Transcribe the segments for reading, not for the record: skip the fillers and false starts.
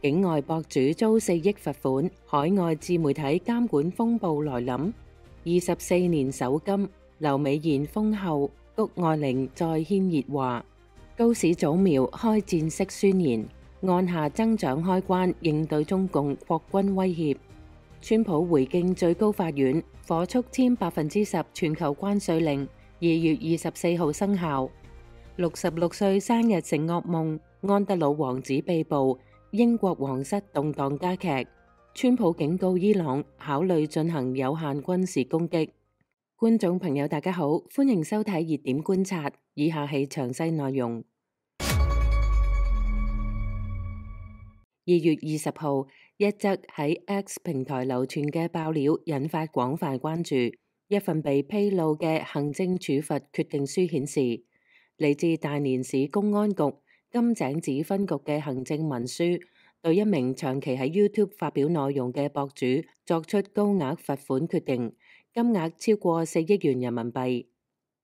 境外博主遭4億罰款，海外自媒體監管風暴來臨。24年首金，劉美賢封後，谷愛凌再掀熱話。高市早苗開戰式宣言，按下增長開關，應對中共擴軍威脅。川普回敬最高法院，火速簽10%全球關稅令，2月24號生效。66歲生日成噩夢，安德魯王子被捕。英國皇室動盪加劇，川普警告伊朗考慮進行有限軍事攻擊。觀眾朋友大家好，歡迎收睇熱點觀察，以下係詳細內容。2月20號，一則喺 X 平台流傳嘅爆料引發廣泛關注。一份被披露嘅行政處罰決定書顯示，嚟自大連市公安局金井子分局嘅行政文書，對一名長期喺 YouTube 發表內容嘅博主作出高額罰款決定，金額超過4億元人民幣。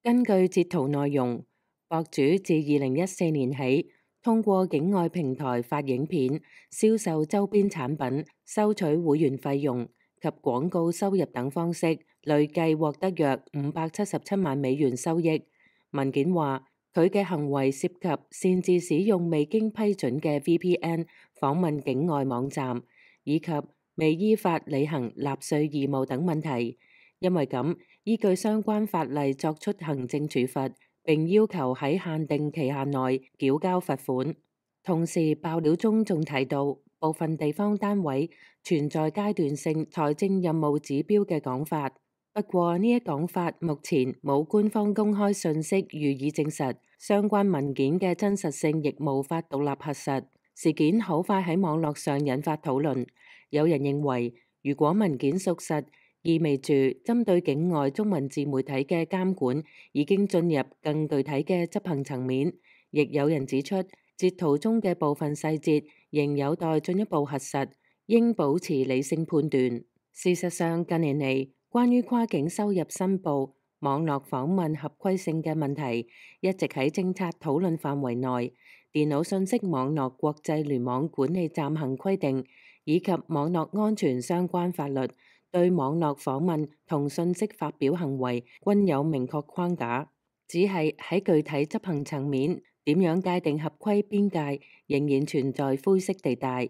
根據截圖內容，博主自2014年起，通過境外平台發影片、銷售周邊產品、收取會員費用及廣告收入等方式，累計獲得約577萬美元收益。文件話，佢嘅行為涉及擅自使用未經批准嘅 VPN 訪問境外網站，以及未依法履行納稅義務等問題。因為咁，依據相關法例作出行政處罰，並要求喺限定期限內繳交罰款。同時，爆料中仲提到部分地方單位存在階段性財政任務指標嘅講法。不過呢一講法目前冇官方公開信息予以證實，相關文件嘅真實性亦無法獨立核實。事件好快喺網絡上引發討論，有人認為如果文件屬實，意味住針對境外中文自媒體嘅監管已經進入更具體嘅執行層面，亦有人指出截圖中嘅部分細節仍有待進一步核實，應保持理性判斷。事實上，近年嚟，關於跨境收入申報、網絡訪問合規性嘅問題，一直喺政策討論範圍內。電腦信息網絡國際聯網管理暫行規定以及網絡安全相關法律，對網絡訪問同信息發表行為均有明確框架，只係喺具體執行層面，點樣界定合規邊界，仍然存在灰色地帶。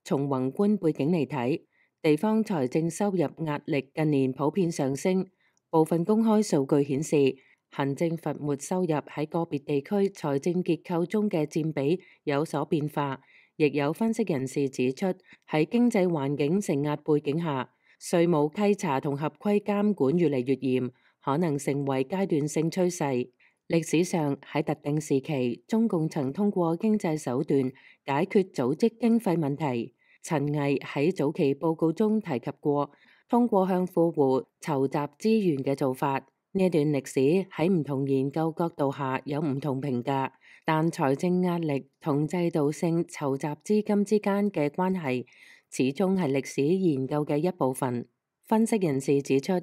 從宏觀背景嚟睇，地方財政收入壓力近年普遍上升，部分公開數據顯示，行政罰沒收入喺個別地區財政結構中嘅佔比有所變化。亦有分析人士指出，喺經濟環境承壓背景下，稅務稽查同合規監管越嚟越嚴，可能成為階段性趨勢。歷史上喺特定時期，中共曾通過經濟手段解決組織經費問題。陳毅喺早期報告中提及過，通過向富戶籌集資源嘅做法。呢段歷史喺唔同研究角度下有唔同評價，但財政壓力同制度性籌集資金之間嘅關係，始終係歷史研究嘅一部分。分析人士指出，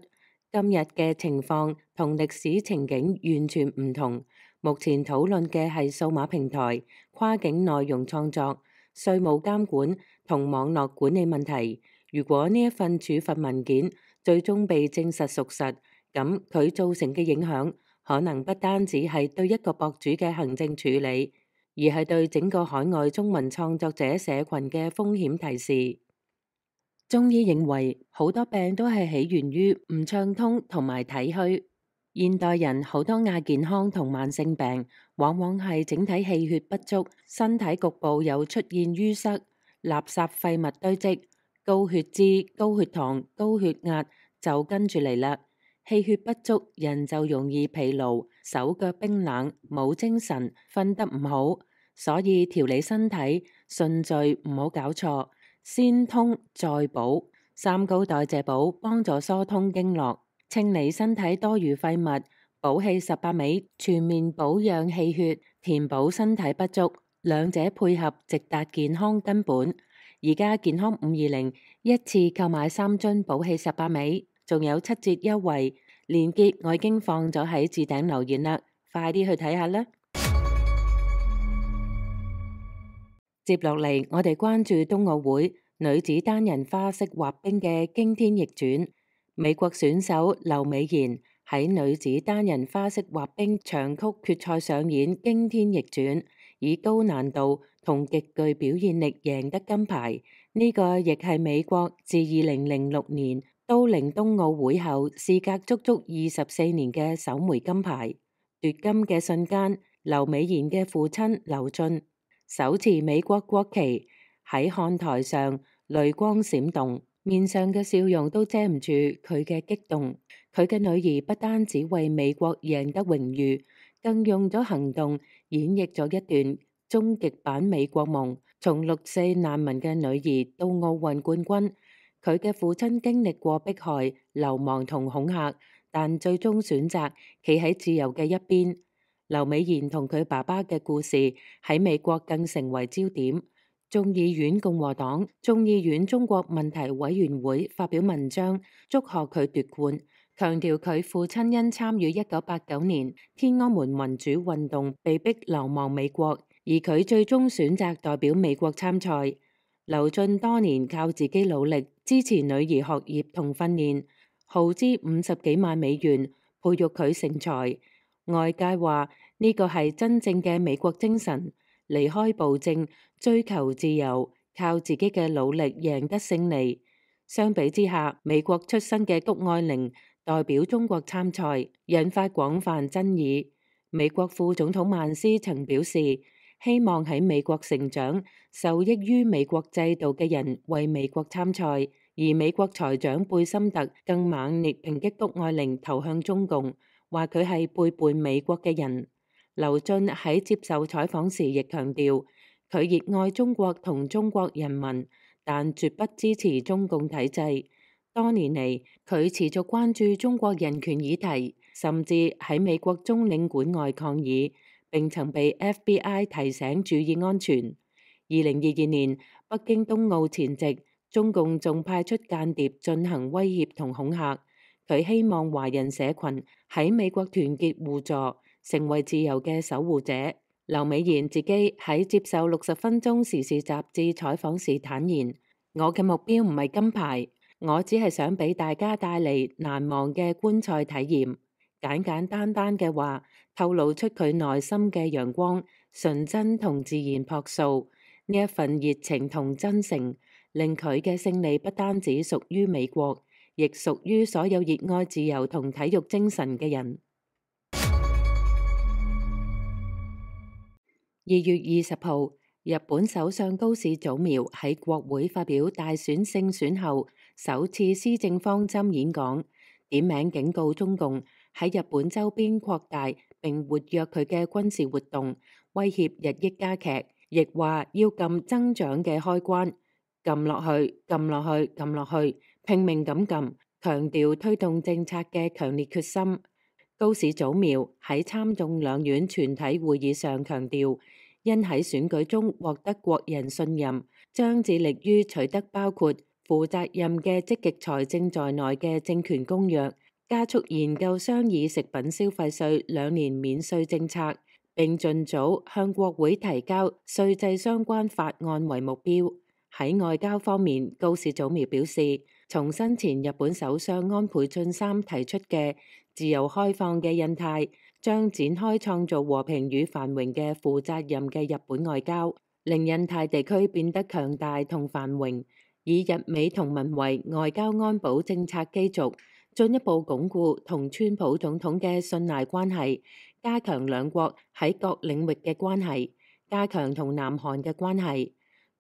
今日嘅情況同歷史情景完全唔同。目前討論嘅係數碼平台、跨境內容創作、稅務監管同網絡管理問題。如果呢一份處罰文件最終被證實屬實，咁佢造成嘅影響可能不單止係對一個博主嘅行政處理，而係對整個海外中文創作者社群嘅風險提示。中醫認為好多病都係起源於唔暢通同埋體虛。現代人好多亞健康同慢性病，往往係整體氣血不足，身體局部有出現淤塞、垃圾廢物堆積、高血脂、高血糖、高血壓就跟住嚟啦。氣血不足，人就容易疲勞、手腳冰冷、冇精神、瞓得唔好。所以調理身體順序唔好搞錯，先通再補。三高代謝補幫助疏通經絡，清理身體多餘廢物，補氣18味，全面保養氣血，填補身體不足，兩者配合直達健康根本。而家健康520一次購買3樽補氣18味，仲有7折優惠，鏈接我已經放咗喺置頂留言啦，快啲去睇下啦！接落嚟，我哋關注冬奧會女子單人花式滑冰嘅驚天逆轉。美國選手劉美妍喺女子單人花式滑冰長曲決賽上演驚天逆轉，以高難度同極具表現力贏得金牌。呢個亦係美國自2006年都靈冬奧會後，事隔足足24年嘅首枚金牌。奪金嘅瞬間，劉美妍嘅父親劉俊手持美國國旗喺看台上，淚光閃動，面上嘅笑容都遮唔住佢嘅激動。佢嘅女兒不單止為美國贏得榮譽，更用咗行動演繹咗一段終極版美國夢，從6·4難民嘅女兒到奧運冠軍。佢嘅父親經歷過迫害、流亡同恐嚇，但最終選擇企喺自由嘅一邊。劉美妍同佢爸爸嘅故事喺美國更成為焦點。眾議院共和黨眾議院中國問題委員會發表文章祝賀佢奪冠，強調佢父親因參與1989年天安門民主運動被逼流亡美國，而佢最終選擇代表美國參賽。劉俊多年靠自己努力支持女兒學業同訓練，耗資50幾萬美元培育佢成才。外界話呢個係真正嘅美國精神，離開暴政，追求自由，靠自己嘅努力贏得勝利。相比之下，美國出身嘅谷愛凌代表中國參賽，引發廣泛爭議。美國副總統曼斯曾表示，希望喺美國成長、受益於美國制度嘅人為美國參賽，而美國財長貝森特更猛烈抨擊谷愛凌投向中共，話佢係背叛美國嘅人。劉俊喺接受採訪時亦強調，佢熱愛中國同中國人民，但絕不支持中共體制。多年嚟，佢持續關注中國人權議題，甚至喺美國中領館外抗議，並曾被 FBI 提醒注意安全。2022年北京冬奧前夕，中共仲派出間諜進行威脅同恐嚇。佢希望華人社群喺美國團結互助，成為自由嘅守護者。劉美妍自己喺接受60分鐘時事雜誌採訪時坦言：我嘅目標唔係金牌，我只係想俾大家帶嚟難忘嘅觀賽體驗。簡簡單單嘅話，透露出佢內心嘅陽光、純真同自然樸素。呢一份熱情同真誠，令佢嘅勝利不單止屬於美國，亦屬於所有熱愛自由同體育精神嘅人。2月20號，日本首相高市早苗喺國會發表大選勝選後首次施政方針演講，點名警告中共喺日本周邊擴大並活躍佢嘅軍事活動，威脅日益加劇，亦話要撳增長嘅開關，撳落去，撳落去，撳落去，拼命咁撳，強調推動政策嘅強烈決心。高市早苗喺參眾兩院全體會議上強調，因喺選舉中獲得國人信任，將致力於取得包括負責任嘅積極財政在內嘅政權公約，加速研究商議食品消費稅2年免稅政策，並盡早向國會提交稅制相關法案為目標。喺外交方面，高市早苗表示，重申前日本首相安倍晉三提出嘅自由開放嘅印太，將展開創造和平與繁榮嘅負責任嘅日本外交，令印太地區變得強大同繁榮，以日美同盟為外交安保政策基礎，進一步鞏固同川普總統嘅信賴關係，加強兩國喺各領域嘅關係，加強同南韓嘅關係。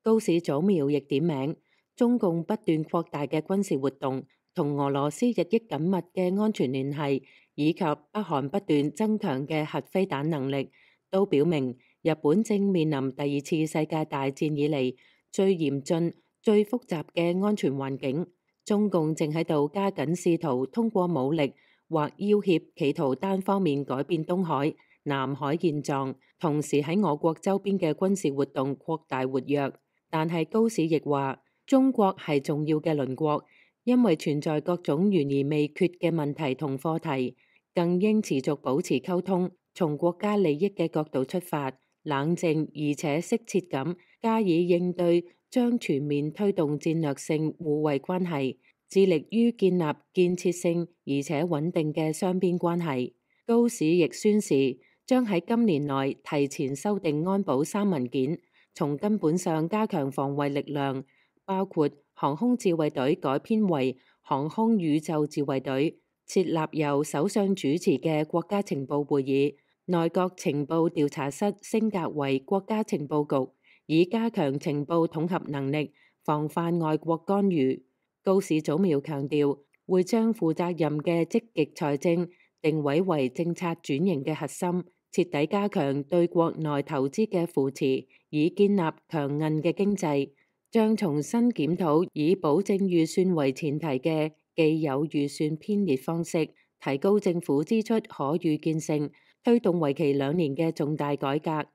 高市早苗亦點名中共不斷擴大嘅軍事活動，同俄羅斯日益緊密嘅安全聯繫，以及北韓不斷增強嘅核飛彈能力，都表明日本正面臨第2次世界大戰以嚟最嚴峻、最複雜嘅安全環境。中共正喺度加緊試圖通過武力或要挾，企圖單方面改變東海、南海現狀，同時喺我國周邊嘅軍事活動擴大活躍。但係高市亦話，中國係重要嘅鄰國，因為存在各種懸而未決嘅問題同課題，更應持續保持溝通，從國家利益嘅角度出發，冷靜而且適切咁加以應對，將全面推動戰略性互惠關係，致力於建立建設性而且穩定嘅雙邊關係。高市亦宣示將喺今年內提前修訂安保3文件，從根本上加強防衛力量，包括航空自衛隊改編為航空宇宙自衛隊，設立由首相主持嘅國家情報會議，內閣情報調查室升格為國家情報局，以加強情報統合能力，防範外國干預。高市早苗強調，會將負責任嘅積極財政定位為政策轉型嘅核心，徹底加強對國內投資嘅扶持，以建立強韌嘅經濟。將重新檢討以保證預算為前提嘅既有預算編列方式，提高政府支出可預見性，推動為期2年嘅重大改革，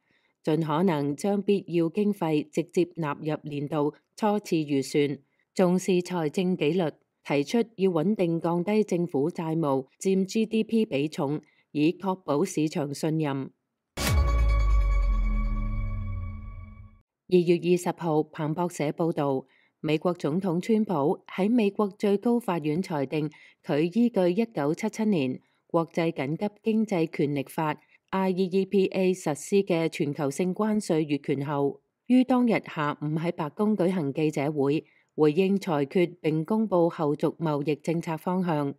盡可能將必要經費直接納入年度初次預算，重視財政紀律，提出要穩定降低政府債務佔 GDP 比重，以確保市場信任。2月20號，彭博社報導，美國總統川普喺美國最高法院裁定佢依據1977年國際緊急經濟權力法 IEEPA 實施嘅全球性關稅越權後，於當日下午喺白宮舉行記者會，回應裁決並公佈後續貿易政策方向。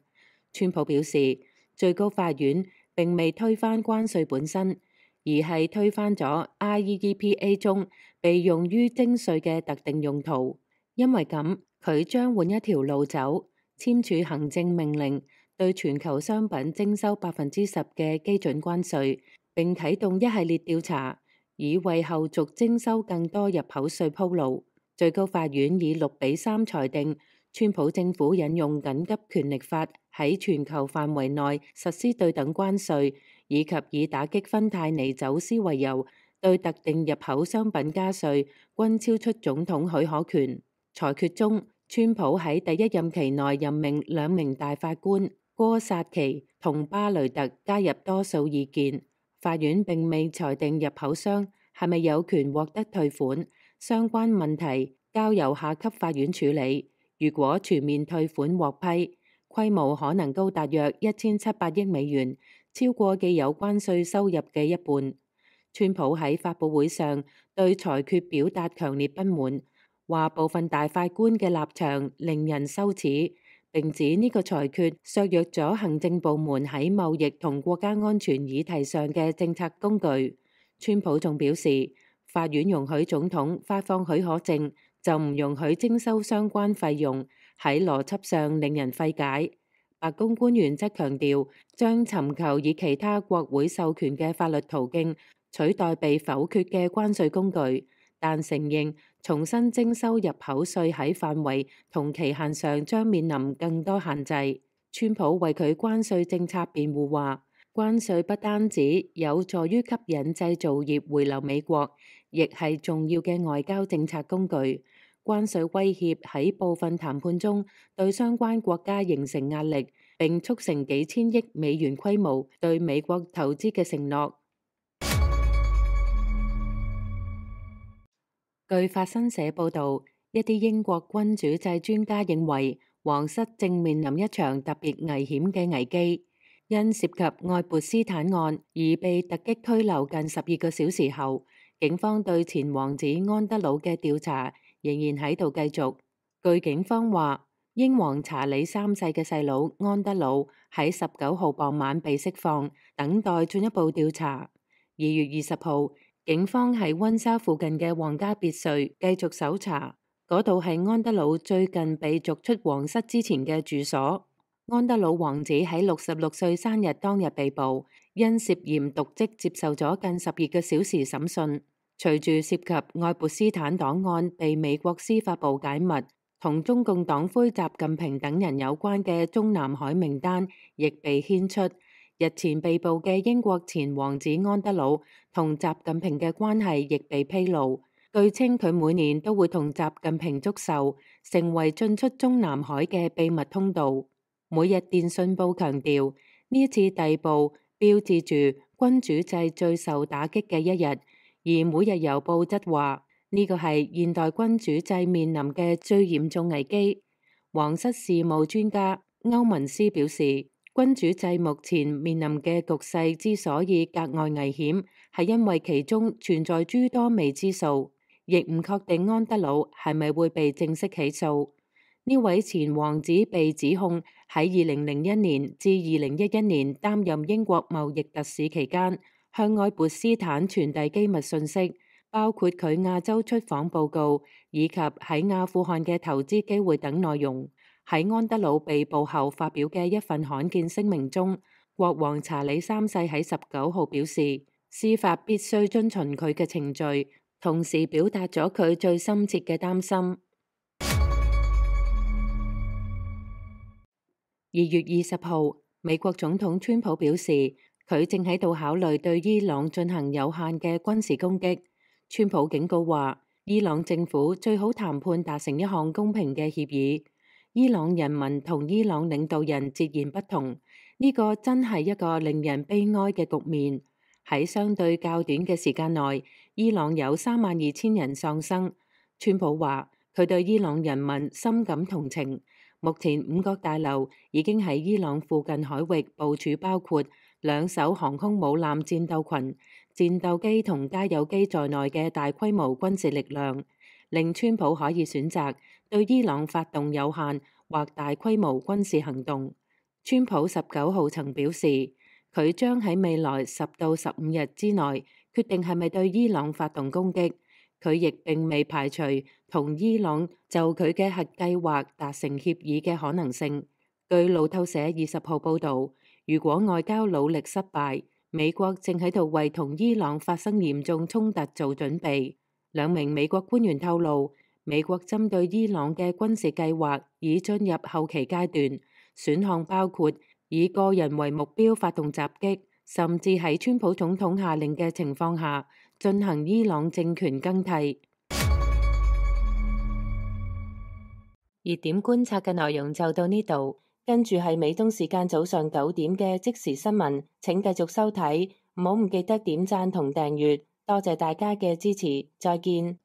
川普表示，最高法院並未推翻關稅本身，而係推翻咗 IEEPA 中被用於徵稅嘅特定用途。因為咁，佢將換一條路走，簽署行政命令，對全球商品徵收10%嘅基準關稅，並啟動一系列調查，以為後續徵收更多入口稅鋪路。最高法院以6-3裁定，川普政府引用緊急權力法喺全球範圍內實施對等關稅，以及以打擊芬太尼走私為由，對特定入口商品加稅，均超出總統許可權。裁決中，川普喺第一任期內任命2名大法官哥薩奇同巴雷特加入多數意見。法院並未裁定入口商係咪有權獲得退款，相關問題交由下級法院處理。如果全面退款獲批，規模可能高達約1700億美元，超過既有關稅收入嘅一半。川普喺發佈會上對裁決表達強烈不滿，話部分大法官嘅立場令人羞恥，並指呢個裁決削弱咗行政部門喺貿易同國家安全議題上嘅政策工具。川普仲表示，法院容許總統發放許可證，就唔容許徵收相關費用，喺邏輯上令人費解。白宮官員則強調，將尋求以其他國會授權嘅法律途徑取代被否決嘅關稅工具，但承認重新徵收入口稅喺範圍同期限上將面臨更多限制。川普為佢關稅政策辯護話，關稅不單止有助於吸引製造業回流美國，亦係重要嘅外交政策工具。關稅威脅喺部分談判中對相關國家形成壓力，並促成幾千億美元規模對美國投資嘅承諾。據法新社報導，一啲英國君主制專家認為，皇室正面臨一場特別危險嘅危機。因涉及愛潑斯坦案而被突擊拘留近12個小時後，警方對前王子安德魯嘅調查仍然喺度繼續。據警方話，英皇查理3世嘅細佬安德魯喺19號傍晚被釋放，等待進一步調查。2月20號，警方喺溫莎附近嘅皇家別墅繼續搜查，嗰度係安德魯最近被逐出皇室之前嘅住所。安德魯王子喺66歲生日當日被捕，因涉嫌瀆職接受咗近12個小時審訊。隨住涉及愛潑斯坦檔案被美國司法部解密，同中共黨魁習近平等人有關嘅中南海名單亦被牽出。日前被捕嘅英國前王子安德魯同習近平嘅關係亦被披露，據稱佢每年都會同習近平祝壽，成為進出中南海嘅秘密通道。每日電訊報強調，呢一次逮捕標誌住君主制最受打擊嘅一日，而每日郵報則話呢個係現代君主制面臨嘅最嚴重危機。皇室事務專家歐文斯表示，君主制目前面臨嘅局勢之所以格外危險，係因為其中存在諸多未知數，亦唔確定安德魯係咪會被正式起訴。呢位前王子被指控喺2001年至2011年擔任英國貿易特使期間，向愛潑斯坦傳遞機密信息，包括佢亞洲出訪報告以及喺阿富汗嘅投資機會等內容。喺安德魯被捕後發表嘅一份罕見聲明中，國王查理三世喺19號表示，司法必須遵循佢嘅程序，同時表達咗佢最深切嘅擔心。2月20號，美國總統川普表示，佢正喺度考慮對伊朗進行有限嘅軍事攻擊。川普警告話，伊朗政府最好談判達成一項公平嘅協議。伊朗人民同伊朗領導人截然不同，呢個真係一個令人悲哀嘅局面。喺相對較短嘅時間內，伊朗有32000人喪生。川普話，佢對伊朗人民深感同情。目前5角大樓已經喺伊朗附近海域部署包括2艘航空母艦戰鬥群、戰鬥機同加油機在內嘅大規模軍事力量，令川普可以選擇對伊朗發動有限或大規模軍事行動。川普19號曾表示，佢將喺未來10到15日之內決定係咪對伊朗發動攻擊。佢亦並未排除同伊朗就佢嘅核計劃達成協議嘅可能性。據路透社20號報導，如果外交努力失敗，美國正喺度為同伊朗發生嚴重衝突做準備。2名美國官員透露，美國針對伊朗嘅軍事計劃已進入後期階段，選項包括以個人為目標發動襲擊，甚至喺川普總統下令嘅情況下進行伊朗政權更替。熱點觀察嘅內容就到呢度，跟住係美東時間早上9點嘅即時新聞，請繼續收睇，唔記得點讚同訂閱，多謝大家嘅支持，再見。